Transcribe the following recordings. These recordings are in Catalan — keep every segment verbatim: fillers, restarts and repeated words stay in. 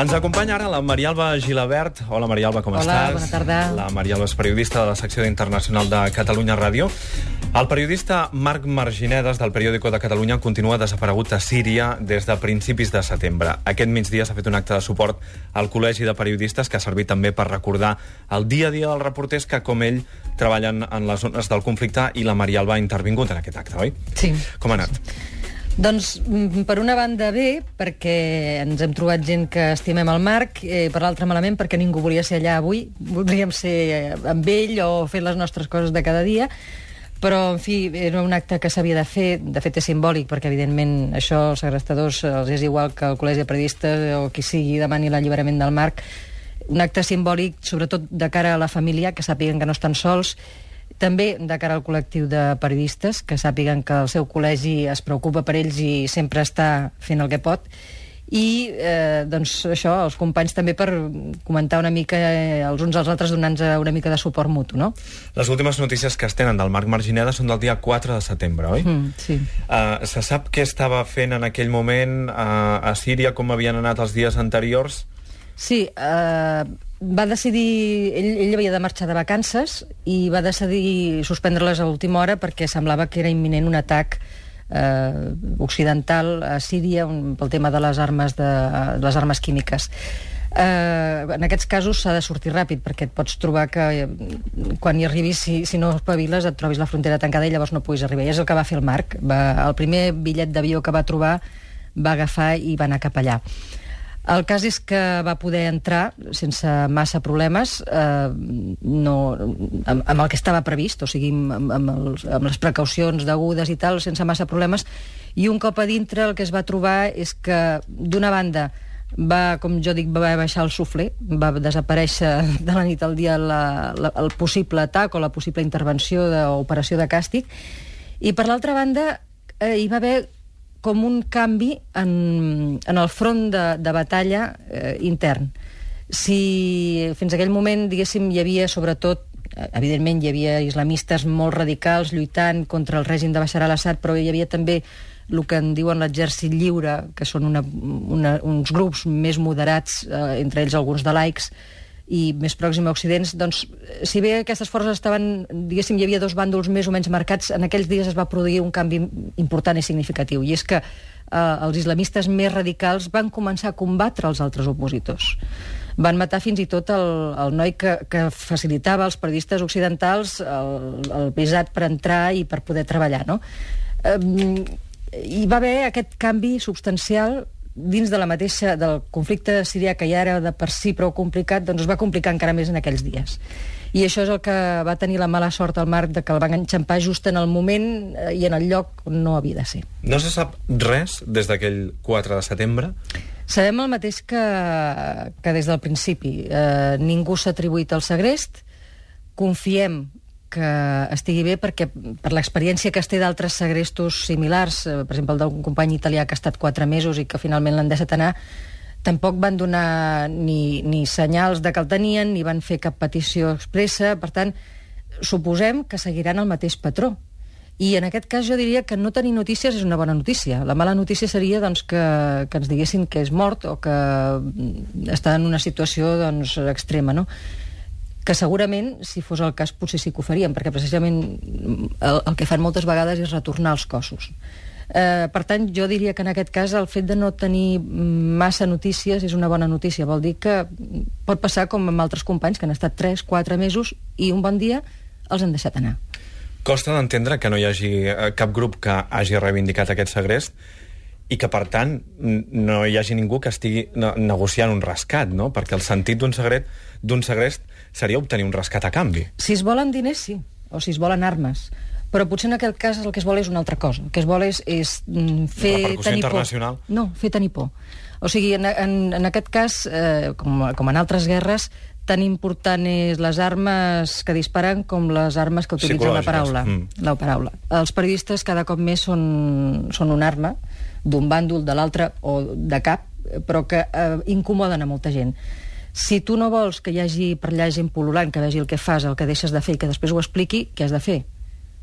Ens acompanya ara la Marialba Gilabert. Hola, Marialba, com Hola, estàs? Hola, bona tarda. La Marialba és periodista de la secció d'Internacional de Catalunya Ràdio. El periodista Marc Marginedes, del Periódico de Catalunya, continua desaparegut a Síria des de principis de setembre. Aquest migdia s'ha fet un acte de suport al Col·legi de Periodistes, que ha servit també per recordar el dia a dia dels reporters que, com ell, treballen en les zones del conflicte, i la Marialba ha intervingut en aquest acte, oi? Sí. Com ha anat? Doncs, per una banda, bé, perquè ens hem trobat gent que estimem el Marc, eh, per l'altra malament, perquè ningú volia ser allà avui. Voldríem ser amb ell o fer les nostres coses de cada dia, però, en fi, era un acte que s'havia de fer. De fet, és simbòlic, perquè, evidentment, això als segrestadors els és igual que el Col·legi de Periodistes o qui sigui demani l'alliberament del Marc. Un acte simbòlic, sobretot de cara a la família, que sàpiguen que no estan sols, també de cara al col·lectiu de periodistes, que sàpiguen que el seu col·legi es preocupa per ells i sempre està fent el que pot. I, eh, doncs, això, els companys també per comentar una mica eh, els uns als altres, donant-nos una mica de suport mutu, no? Les últimes notícies que es tenen del Marc Marginedes són del dia quatre de setembre, oi? Mm, sí. Uh, se sap què estava fent en aquell moment uh, a Síria, com havien anat els dies anteriors? Sí, eh, va decidir... Ell, ell havia de marxar de vacances i va decidir suspendre-les a l'última hora perquè semblava que era imminent un atac eh, occidental a Síria un, pel tema de les armes, de, de les armes químiques. Eh, en aquests casos s'ha de sortir ràpid, perquè et pots trobar que eh, quan hi arribis, si, si no espaviles, et trobis la frontera tancada i llavors no puguis arribar. I és el que va fer el Marc. Va, el primer bitllet d'avió que va trobar va agafar i va anar cap allà. El cas és que va poder entrar sense massa problemes, eh, no, amb, amb el que estava previst, o sigui, amb, amb, els, amb les precaucions degudes i tal, sense massa problemes, i un cop a dintre el que es va trobar és que, d'una banda, va, com jo dic, va baixar el suflé, va desaparèixer de la nit al dia la, la, el possible atac o la possible intervenció d'operació de càstig, i per l'altra banda eh, hi va haver com un canvi en, en el front de, de batalla eh, intern. Si fins aquell moment, diguéssim, hi havia sobretot, evidentment hi havia islamistes molt radicals lluitant contra el règim de Bashar al-Assad, però hi havia també el que en diuen l'exèrcit lliure, que són una, una, uns grups més moderats, eh, entre ells alguns de laics, i més pròxim a Occidents, doncs, si bé aquestes forces estaven, diguéssim, hi havia dos bàndols més o menys marcats, en aquells dies es va produir un canvi important i significatiu, i és que eh, els islamistes més radicals van començar a combatre els altres opositors. Van matar fins i tot el, el noi que, que facilitava als periodistes occidentals el, el visat per entrar i per poder treballar, no? Eh, hi va haver aquest canvi substancial dins de la mateixa, del conflicte sirià, que ja era de per si prou complicat, doncs es va complicar encara més en aquells dies. I això és el que va tenir la mala sort al Marc, de que el van enxampar just en el moment i en el lloc on no havia de ser. No se sap res des d'aquell quatre de setembre? Sabem el mateix que, que des del principi. Eh, ningú s'ha atribuït el segrest. Confiem que estigui bé, perquè per l'experiència que es té d'altres segrestos similars, eh, per exemple el d'un company italià que ha estat quatre mesos i que finalment l'han deixat anar, tampoc van donar ni, ni senyals de que el tenien, ni van fer cap petició expressa. Per tant, suposem que seguiran el mateix patró. I en aquest cas jo diria que no tenir notícies és una bona notícia. La mala notícia seria, doncs, que, que ens diguessin que és mort o que està en una situació, doncs, extrema, no? Que segurament, si fos el cas, potser sí que ho faríem, perquè precisament el, el que fan moltes vegades és retornar els cossos. Eh, per tant, jo diria que en aquest cas el fet de no tenir massa notícies és una bona notícia. Vol dir que pot passar com amb altres companys que han estat tres, quatre mesos i un bon dia els han deixat anar. Costa d'entendre que no hi hagi cap grup que hagi reivindicat aquest segrest i que, per tant, no hi hagi ningú que estigui negociant un rescat, no? Perquè el sentit d'un segret, d'un segrest seria obtenir un rescat a canvi. Si es volen diners, sí, o si es volen armes. Però potser en aquest cas el que es vol és una altra cosa. El que es vol és, és fer repercussió tenir internacional? por. No, fer tenir por. O sigui, en, en, en aquest cas, eh, com, com en altres guerres, tan important és les armes que disparen com les armes que utilitzen la paraula. Mm. La paraula. Els periodistes cada cop més són, són una arma, d'un bàndol, de l'altre o de cap, però que eh, incomoden a molta gent. Si tu no vols que hi hagi per allà gent pol·lulant, que vegi el que fas, el que deixes de fer i que després ho expliqui, què has de fer?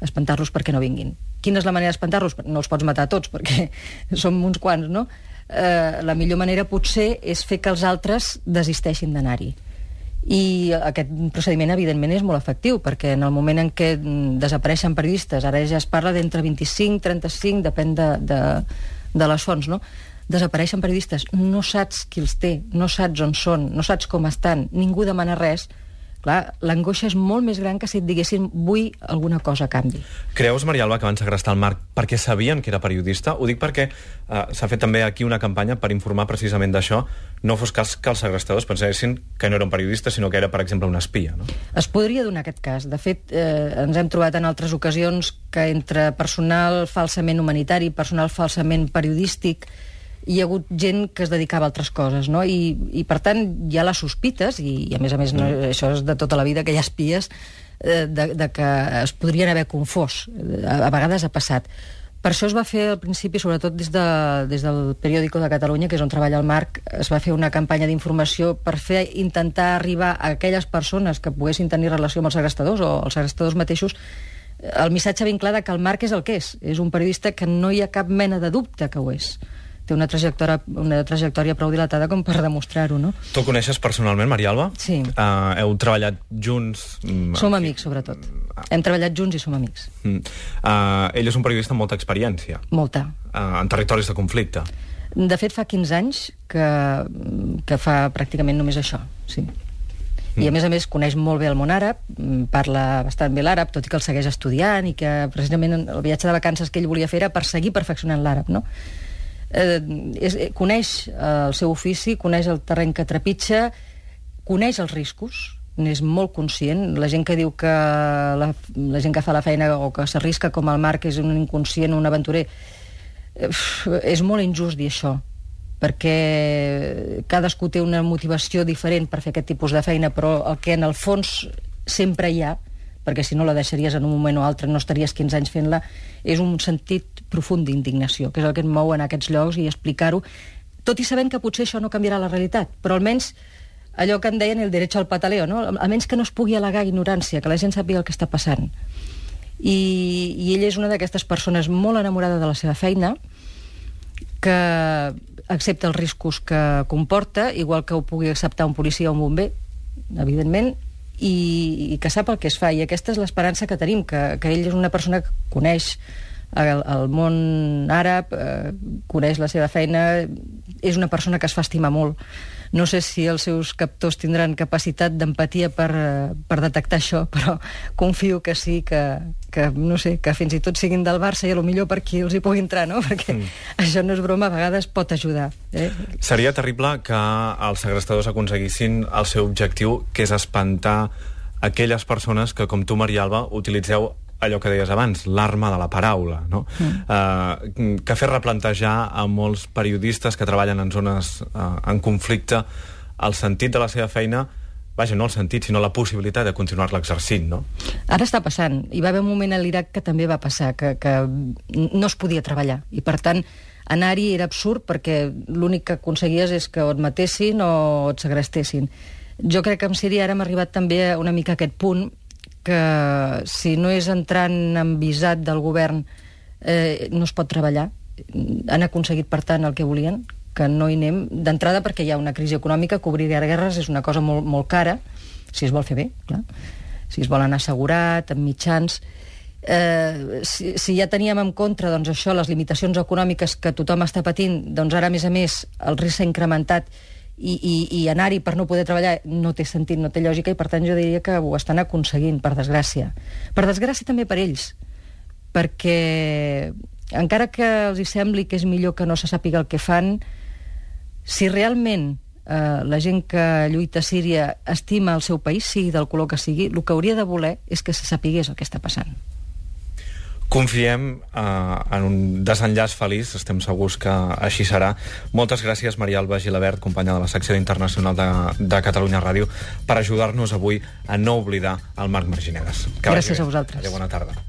Espantar-los perquè no vinguin. Quina és la manera d'espantar-los? No els pots matar tots, perquè som uns quants, no? eh, la millor manera potser és fer que els altres desisteixin d'anar-hi. I aquest procediment, evidentment, és molt efectiu, perquè en el moment en què desapareixen periodistes, ara ja es parla d'entre vint-i-cinc i trenta-cinc, depèn de, de, de les fonts, no? Desapareixen periodistes, no saps qui els té, no saps on són, no saps com estan, ningú demana res. Clar, l'angoixa és molt més gran que si et diguessin vull alguna cosa a canvi. Creus, Maria Alba, que van segrestar el Marc perquè sabien que era periodista? Ho dic perquè eh, s'ha fet també aquí una campanya per informar precisament d'això. No fos cas que els segrestadors pensessin que no era un periodista, sinó que era, per exemple, un espia, no? Es podria donar aquest cas. De fet, eh, ens hem trobat en altres ocasions que entre personal falsament humanitari i personal falsament periodístic hi ha hagut gent que es dedicava a altres coses, no? I, i per tant, hi ha les sospites, i, i a més a més, no, això és de tota la vida, que hi ha espies, eh, de, de que es podrien haver confós. A, a vegades ha passat. Per això es va fer al principi, sobretot des, de, des del Periódico de Catalunya, que és on treballa el Marc, es va fer una campanya d'informació per fer intentar arribar a aquelles persones que poguessin tenir relació amb els segrestadors o els segrestadors mateixos, el missatge ben clar de que el Marc és el que és. És un periodista que no hi ha cap mena de dubte que ho és. Té una trajectòria, una trajectòria prou dilatada com per demostrar-ho, no? Tu el coneixes personalment, Maria Alba? Sí. Uh, heu treballat junts? Som amics, sobretot. Hem treballat junts i som amics. Mm. Uh, ell és un periodista amb molta experiència. Molta. Uh, en territoris de conflicte. De fet, fa quinze anys que, que fa pràcticament només això, sí. I, a més a més, coneix molt bé el món àrab, parla bastant bé l'àrab, tot i que el segueix estudiant i que, precisament, el viatge de vacances que ell volia fer era per seguir perfeccionant l'àrab, no? Eh, és, coneix el seu ofici, coneix el terreny que trepitja, coneix els riscos, n'és molt conscient. La gent que diu que la, la gent que fa la feina o que s'arrisca com el Marc és un inconscient, un aventurer, eh, és molt injust dir això, perquè cadascú té una motivació diferent per fer aquest tipus de feina, però el que en el fons sempre hi ha, perquè si no la deixaries en un moment o altre, no estaries quinze anys fent-la, és un sentit profund d'indignació, que és el que et mou en aquests llocs i explicar-ho, tot i sabent que potser això no canviarà la realitat, però almenys allò que en deien el derecho al pataleo, no? Almenys que no es pugui al·legar ignorància, que la gent sàpiga el que està passant. I, i ell és una d'aquestes persones molt enamorada de la seva feina, que accepta els riscos que comporta, igual que ho pugui acceptar un policia o un bomber, evidentment, i, i que sap el que es fa, i aquesta és l'esperança que tenim, que, que ell és una persona que coneix el, el món àrab, eh, coneix la seva feina, és una persona que es fa estimar molt. No sé si els seus captors tindran capacitat d'empatia per, per detectar això, però confio que sí, que, que, no sé, que fins i tot siguin del Barça i a lo millor per qui els hi pugui entrar, no? Perquè mm. això no és broma, a vegades pot ajudar. Eh? Seria terrible que els segrestadors aconseguissin el seu objectiu, que és espantar aquelles persones que, com tu, Maria Alba, utilitzeu allò que deies abans, l'arma de la paraula, no? Mm. Uh, que fer replantejar a molts periodistes que treballen en zones uh, en conflicte el sentit de la seva feina, vaja, no el sentit, sinó la possibilitat de continuar-la exercint, no? Ara està passant. Hi va haver un moment a l'Iraq que també va passar, que, que no es podia treballar, i per tant anar-hi era absurd perquè l'únic que aconseguies és que o et matessin o et segrestessin. Jo crec que amb Síria ara hem arribat també una mica a aquest punt que si no és entrant en visat del govern eh, no es pot treballar. Han aconseguit, per tant, el que volien, que no hi anem d'entrada perquè hi ha una crisi econòmica, cobrir guerres és una cosa molt, molt cara, si es vol fer bé, clar. Si es vol anar assegurat, amb mitjans. Eh, si, si ja teníem en contra, doncs això, les limitacions econòmiques que tothom està patint, doncs ara, a més a més, el risc s'ha incrementat i, i, i anar-hi per no poder treballar no té sentit, no té lògica, i per tant jo diria que ho estan aconseguint, per desgràcia. Per desgràcia també per ells, perquè encara que els hi sembli que és millor que no se sàpiga el que fan, si realment eh, la gent que lluita a Síria estima el seu país, sigui del color que sigui, el que hauria de voler és que se sapigués el que està passant. Confiem eh, en un desenllaç feliç, estem segurs que així serà. Moltes gràcies, Maria Alba Gilabert, companya de la secció internacional de, de Catalunya Ràdio, per ajudar-nos avui a no oblidar el Marc Marginedes. Gràcies a vosaltres. Adéu, bona tarda.